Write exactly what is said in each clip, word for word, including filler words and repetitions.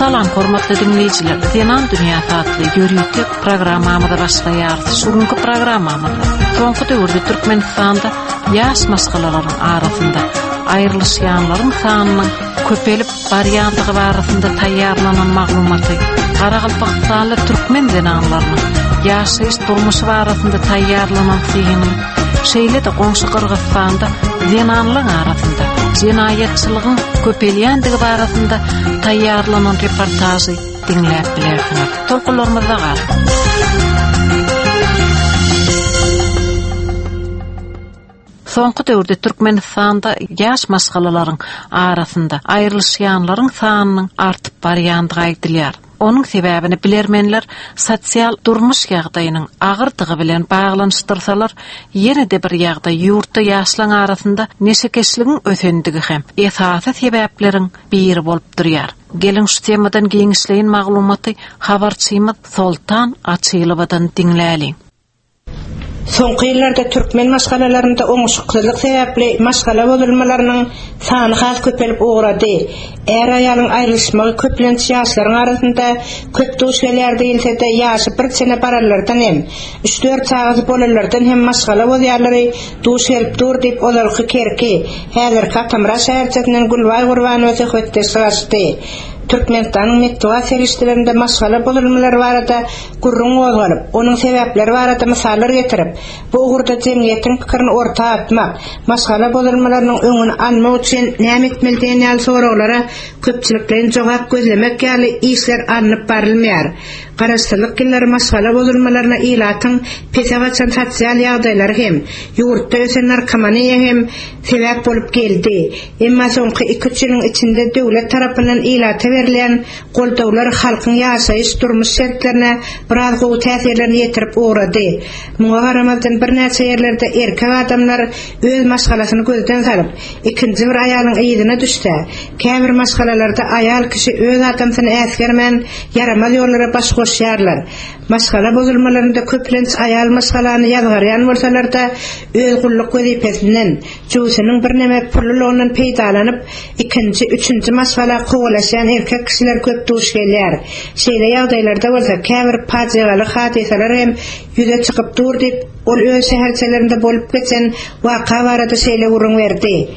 Salam hormatly diňleýjiler. Zenan Dünýäsi atly ýörite programmamyza başlaýarys. Şu günki programmamyzda soňky döwürde Türkmenistanda ýaş maşgalalaryň arasynda aýrylyşýanlaryň sanynyň köpelip barýandygy barasynda taýýarlanan maglumaty, Garagalpagystanly türkmen zenanlarynyň ýaşaýyş durmuşy barasynda taýýarlanan syny, şeýle-de goňşy Gyrgyzystanda zenanlaryň arasynda jenaýatçylygyň köpelýändigi barasynda taýýarlanan reportažy diňläp bilersiňiz. Tolkunlarymyzda galyň. Soňky döwürde Türkmenistanda ýaş maşgalalaryň arasynda aýrylyşýanlaryň sanynyň artyp barýandygy aýdylýar. Onuň sebäbini bilermenler sosial durmuş ýagdaýynyň agyrdygy bilen baglanyşdyrsalar, ýene-de bir ýagdaý ýurtda ýaşlaryň arasynda neşekeşligiň ösendigi hem esasy sebäpleriň biri bolup durýar. Geliň şu temadan giňişleýin maglumaty habarçymyz Soltan Açylowadan diňläliň. Soňky ýyllarda türkmen maşgalalarynda oňuşyksyzlyk sebäpli maşgala bozulmalarynyň sany has köpelip ugrady. Är aýalyň aýrylyşmagy köplenç ýaşlaryň arasynda köp duş gelýär diýilse-de, ýaşy bir çene baranlardan hem, üç-dört çagasy bolanlardan hem maşgala bozýarlary duş gelip dur diýip ozalky Kerki, häzirki Atamyrat şäherçesinden Gülbaý Gurbanowa söhbetdeşlik açdy. Türkmenistanyň metbugat serişdelerinde maşgala bozulmalary barada gürrüň gozgalyp, onuň sebäpleri barada mysallar getirip, bu ugurda jemgyýetiň pikirini orta atmak, maşgala bozulmalarynyň öňüni almak üçin näme etmeli diýen ýaly soraglara köpçülikleýin jogap gözlemek ýaly işler alnyp barylmaýar. Garaşsyzlyk ýyllary maşgala bozulmalaryna ilatyň pese gaçan sosial ýagdaýlary hem, ýurtda ösen narkomaniýa hem sebäp bolup geldi. Emma soňky iki-üç ýylyň içinde döwlet tarapyndan ilata berilýän goldawlar halkyň ýaşaýyş durmuş şertlerine biraz gowy täsirlerini ýetirip ugrady. Muňa garamazdan birnäçe ýerlerde erkek adamlar öz maşgalasyny gözden salyp, ikinji bir aýalyň yzyna düşse, käbir maşgalalarda aýal kişi öz adamsyny äsgermän ýaramaz ýollara baş goşýarlar. Maşgala bozulmalarynda köplenç aýal maşgalany ýazgarýan bolsalar-da, öz gulluk wezipesinden, jübüsiniň birneme pullulygyndan peýdalanyp, ikinji, üçünji maşgala kowalaşýan erkek kişiler köp duş gelýär. Şeýle ýagdaýlarda bolsa käbir pajygaly hadysalar hem ýüze çykyp dur diýip, ol öz şäherçelerinde bolup geçen waka barada şeýle gürrüň berdi.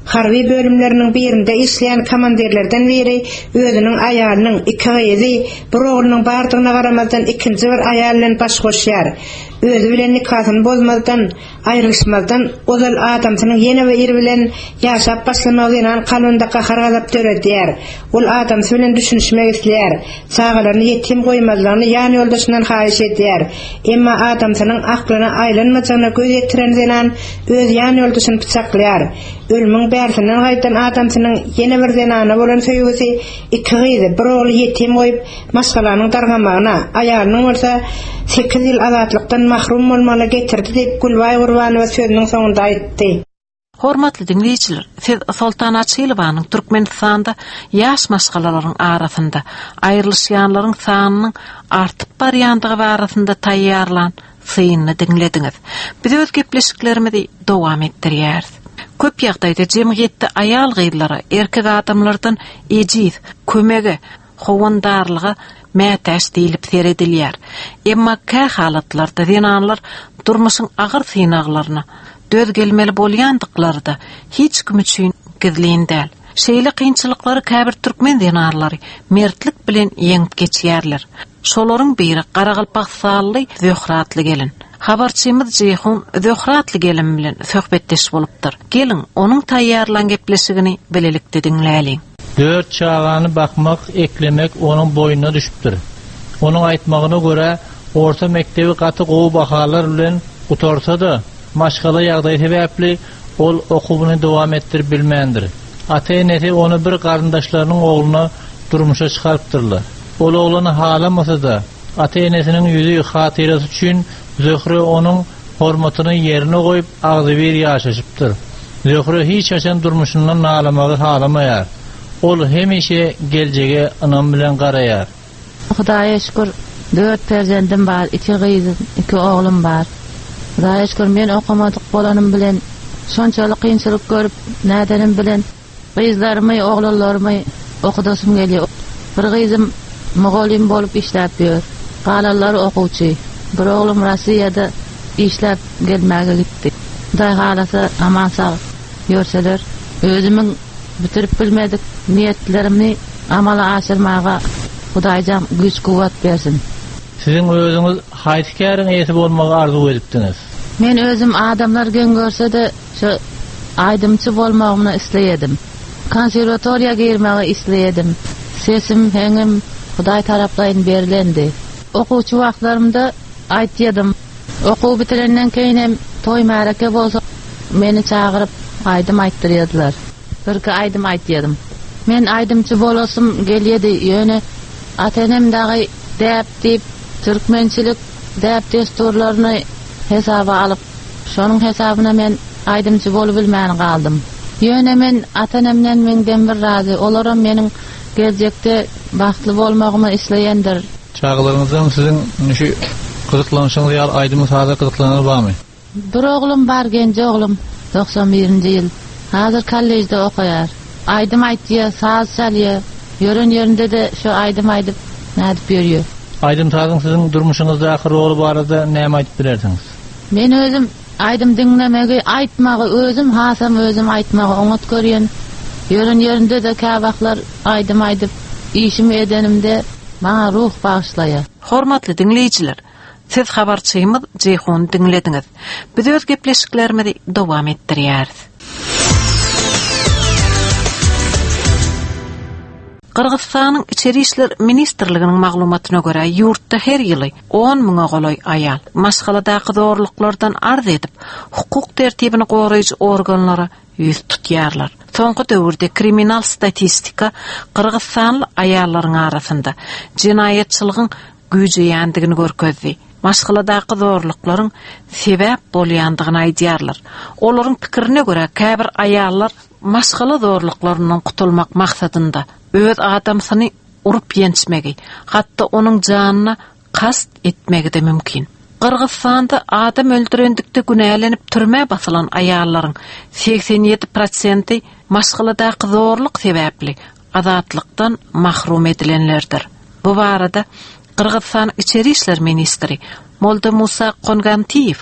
Harby bölümleriniň birinde işleýän komandirlerden biri özüniň aýalynyň iki gyzy, bir oglunyň bardygyna garamazdan ikinji bir aýal bilen baş goşýar. Özi bilen nikasyny bozmazdan, aýrylyşmazdan ozal adamsynyň ýene bir bilen ýaşap başlamagy zenan kalbynda gahar-gazap döredýär. Ol adamsy bilen düşünişmek isleýär. Çagalaryny ýetim goýmazlygyny ýan ýoldaşyndan haýyş edýär. Emma adamsynyň aklyna aýlanmajagyna göz ýetiren zenan öz ýan ýoldaşyny pyçaklaýar. Ölümiň bärsinden gaýdan adamsynyň ýene bir zenana bolan söýgüsi iki gyzy, bir ogly ýetim goýup maşgalanyň dargamagyna, aýalynyň bolsa sekiz ýyl azatlykdan mahrum bolmagyna getirdi diýip Gülbaý Gurbanowa sözüniň soňunda aýtdy. Hormatly diňleýjiler, siz Soltan Açylowanyň Türkmenistanda ýaş maşgalalaryň arasynda aýrylyşýanlaryň sanynyň artyp barýandygy barasynda taýýarlan synyny diňlediňiz. Biz öz gepleşiklerimizi dowam etdirýäris. Köp ýagdaýda jemgyýetde aýal gyzlara erkek adamlardan ejiz, kömege, howandarlyga mätäç diýlip seredilýär. Emma kä halatlarda zenanlar durmuşyň agyr synaglaryna döz gelmeli bolýandyklary-da hiç kim üçin gizlin däl. Şeýle kynçylyklary käbir türkmen zenanlary mertlik bilen ýeňip geçýärler. Şolaryň biri Garagalpagstanly Zöhratly gelin. Habarçymyz Jeýhun Zöhratly gelin bilen söhbetdeş bolupdyr. Gelin, onuň taýýarlan gepleşigini bilelikde diňläliň. Dört çagany bakmak, eklemek onuň boýnuna düşüpdir. Onuň aýtmagyna görä, orta mekdebi gaty gowy bahalar bilen gutarsa-da, maşgala ýagdaýy sebäpli ol okuwyny dowam etdirip bilmändir. Ata-enesi ony bir garyndaşlarynyň ogluna durmuşa çykarypdyrlar. Ol oglany halamasa-da, ata-enesiniň ýüzi hatyrasy üçin Zöhre onuň hormatyny ýerine goýup agzybir ýaşaşypdyr. Zöhre hiç haçan durmuşyndan nalamagy halamaýar. Ol hemişe geljege ynam bilen garaýar. Hudaýa şükür, dört perzendim bar, iki gyzym, iki oglum bar. Hudaýa şükür, men okamadyk bolanym bilen, şonçalyk kynçylyk görüp, nädenim bilen gyzlarymy, oglanlarymy okudasym gelýär. Bir gyzym mugallym bolup işläp ýör. Galanlary okuwçy. Bir oglum Russiýada işläp gelmäge gitdi. Hudaý halasa aman sag ýörseler, özümiň bitirip bilmedik niýetlerimi amala aşyrmaga Hudaýjan güýç kuwwat bersin. Siziň özüňiz haýsy käriň eýesi bolmagy arzuw edipdiňiz? Men özüm adamlar geň görse-de şu aýdymçy bolmagymy isleýedim. Konserwatoriýa girmegi isleýedim. Sesim, heňim Hudaý taraplaýyn berilendi. Okuwçy wagtlarymda aýtýadym. Okuw bitirenden keyin hem toý märeke bolsa meni çagyryp aýdym aýtdyrýardylar. Birki aýdym aýtýadym. Men aýdymçy bolasym gelýedi. Ýöne atenem dagy däp diýip türkmençilik däp desturlaryny hesaba alyp, şonuň hesabyna men aýdymçy bolup bilmän galdym. Ýöne men atenemden meňden bir razy. Olaram meniň geljekde bagtly bolmagymy isleýendir. Çagalaryňyzdan siziň şu gyzyklanyşyňyz ýaly aýdymy saza gyzyklanan barmy? Bir oglum bar, genç oglum, doksan birinji ýyl. Hazır kollejde okaýar. Aýdym aýtýar, saz çalýar. Ýören ýerinde de şu aýdym aýdyp nädip ýörüyor. Aýdym sazyň siziň durmuşyňyzdaky roly barada näme aýdyp bilersiňiz? Men özüm aýdym diňlemegi, aýtmagy özüm hasam özüm aýtmagy oňat görýän. Ýören ýerinde de käwagtlar aýdym aýdyp işimi edenimde maňa ruh bagyşlaýar. Hormatly diňleýjiler, siz habarçymyz Jeýhun diňlediňiz. Biz öz gepleşiklerimizi dowam etdirýäris. Gyrgyzystanyň Içeri İşler Ministrliginiň maglumatyna görä, ýurtda her ýyly on müňe golaý aýal maşgaladaky zorluklardan arz edip, hukuk tertibini goraýjy organlara ýüz tutýarlar. Soňky döwürde kriminal statistika Gyrgyzystanly aýallaryň arasynda jenaýatçylygyň güýjeýändigini görkezdi. Maşgaladaky zorluklaryň sebäp bolýandygyny aýdýarlar. Olaryň pikirine görä, käbir aýallar maşgala zorluklaryndan gutulmak maksadynda öz adamsyny urup ýençmegi, hatda onuň janyna kast etmegi de mümkin. Gyrgyzystanda adam öldürendikde günälenip türmä basylan aýallaryň seksen ýedi prosenti maşgaladaky zorluk sebäpli azatlykdan mahrum edilenlerdir. Bu barada Gyrgyzystan Içeri İşler Ministri Molda Musa Kongantiýew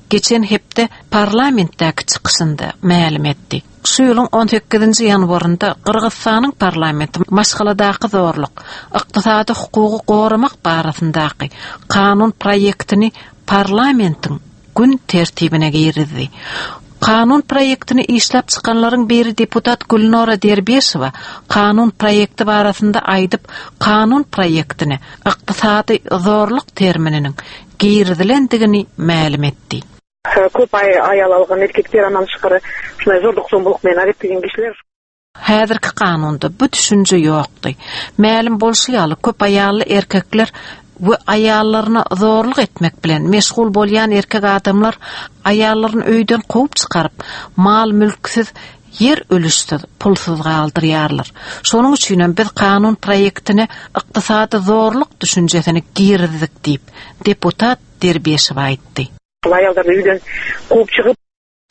geçen hepde parlamentdäki çykyşynda mälim etdi. Şu ýylyň on sekizinji ýanwarynda Gyrgyzystanyň parlamenti maşgaladaky zorluk, ykdysady hukugy goramak barasyndaky kanun proýektini parlamentiň gün tertibine girizdi. Kanun proýektini işläp çykanlaryň biri deputat Gülnora Derbeşewa kanun proýekti barasynda aýdyp, kanun proýektini ykdysady zorluk termininiň girizilendigini mälim etdi. Köp aýal algan erkekler anam çykyry şunday zorluk zomboluk menen alet degen kişiler. Häzirki kanunda bu düşünje ýokdy. Mälim bolşy ýaly köp aýally erkekler we aýallaryna zorluk etmek bilen meşgul bolýan erkek adamlar aýallaryny öýden kowup çykaryp, mal mülksüz, ýer ölüşsiz, pulsuz galdyrýarlar. Şonuň üçin hem biz kanun proýektine ykdysady zorluk düşünjesini girizdik diýip deputat Derbeşewa aýtdy. Aýallar öýden kowup çykyp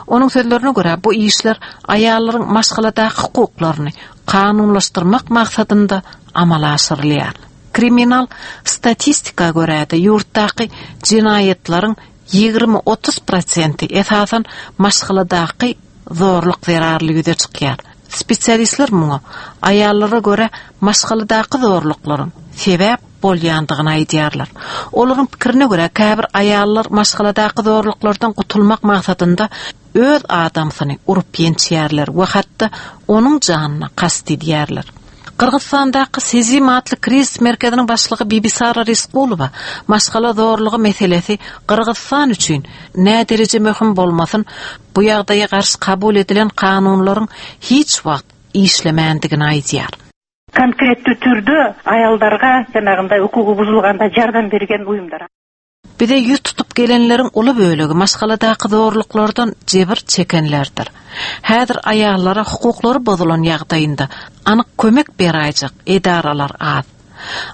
Onuň sözlerine görä bu işler aýallaryň maşgaladaky hukuklaryny kanunlaşdyrmak maksadynda amala aşyrylýar. Kriminal statistika görä de ýurtdaky jenaýatlaryň ýigrimi otuz prosenti esasan maşgaladaky zorluk zerarly ýüze çykýar. Spesialistler muňa aýallara görä maşgaladaky zorluklaryň sebäp bolýandygyny aýdýarlar. Olaryň pikirine görä käbir aýallar maşgaladaky zorluklardan gutulmak maksadynda öz adamsyny urup ýençýärler we hatda onuň janyna kast edýärler. Gyrgyzystandaky Sezim atly krizis merkeziniň başlygy Bibisara Reskulowa maşgala zorlugy meselesi Gyrgyzystan üçin nä dereje möhüm bolmasyn, bu ýagdaýa garşy kabul edilen kanunlaryň hiç wagt işlemändigini aýdýar. Konkretli türde aýallarga janagynda hukugy buzulganda ýardam bergen uýumlar. Bize ýüz tutup gelenleriň uly bölegi maşgaladaky zorluklardan jebir çekenlerdir. Häzir aýallara hukuklary bozulan ýagdaýynda anyk kömek beraýjak edaralar az.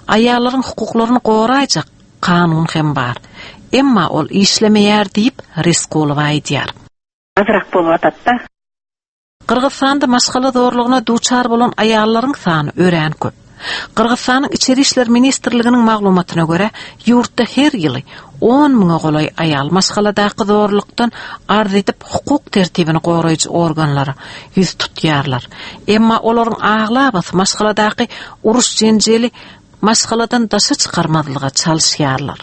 Aýallaryň hukuklaryny goraýjak kanun hem bar. Emma ol işlemeýär diýip Reskulowa aýdýar. Azrak bolup atatda. Gyrgyzystanda maşgala zorlugyna duçar bolan aýallaryň sany örän köp. Gyrgyzystanyň Içeri Işler Ministrliginiň maglumatyna görä, ýurtda her ýyly on müňe golaý aýal maşgaladaky zorlukdan arz edip hukuk tertibini goraýjy organlara ýüz tutýarlar. Emma olaryň aglabasy maşgaladaky uruş jenjeli maşgaladan daşa çykarmazlyga çalyşýarlar.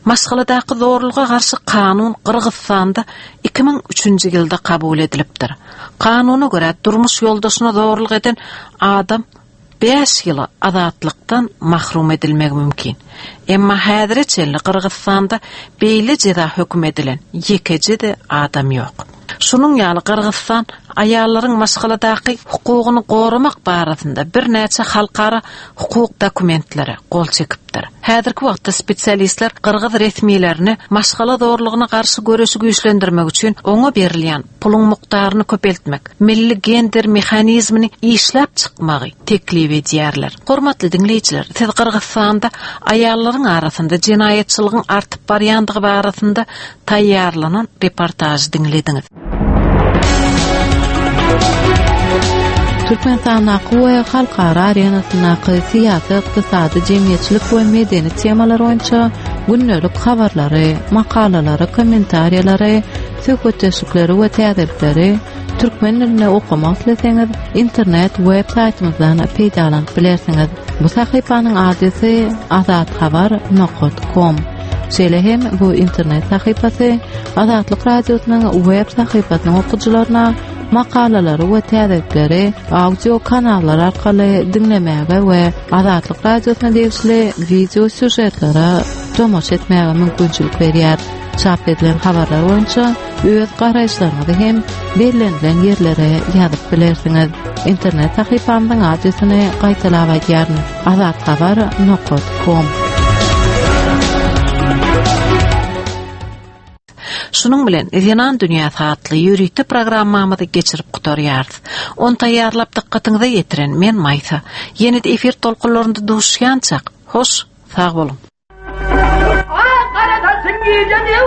Maşgaladaky zorluga garşy kanun Gyrgyzystanda iki müň üçünji ýylda kabul edilipdir. Kanuna görä durmuş ýoldaşyna zorluk eden adam bäş ýyla azatlykdan mahrum edilmegi mümkin. Emma häzire çenli Gyrgyzystanda beýle jeza höküm edilen ýekeje-de adam ýok. Şunuň ýaly Gyrgyzystan aýallaryň maşgaladaky hukugyny goramak barasynda birnäçe halkara hukuk dokumentlere gol çekipdir. Häzirki wagtda spesialistler gyrgyz resmilerini maşgala zorlugyna garşy göreşi güýçlendirmek üçin oňa berilýän puluň mukdaryny köpeltmek, milli gender mehanizmini işläp çykmagy teklip edýärler. Hormatly diňleýjiler, siz Gyrgyzystanda aýallaryň arasynda jenaýatçylygyň artyp barýandygy barasynda taýýarlanan reportažy diňlediňiz. Türkmenistandaky we halkara arenasyndaky syýasy, ykdysady, jemgyýetçilik we medeni temalar boýunça gündelik habarlary, makalalary, kommentariýalary, söhbetdeşlikleri we täzelikleri türkmen dilinde okamak isleseňiz, internet web saýtymyzdan peýdalanyp bilersiňiz. Bu sahypanyň adresi azathabar nokta com. Şeýle hem bu internet sahypasy Azatlyk Radiosynyň web sahypasynyň okyjylaryna makalalary we täzelikleri audio kanallar arkaly diňlemäge we Azatlyk Radiosyna degişli video süžetlere tomaşa etmäge mümkinçilik berýär. Çap edilen habarlar boýunça öz garaýyşlaryňyzy hem bellenilen ýerlere ýazyp bilersiňiz. Internet sahypamyzyň adresini gaýtalap aýdýaryn: azathabar nokta com. Şunuň bilen Zenan Dünýäsi atly ýörite programmamyzy geçirip gutarýarys. Ony taýýarlap dykgatyňyza ýetiren men Maýsa. Ýene de efir tolkunlarynda duşýançak, hoş, sag boluň. Gece ne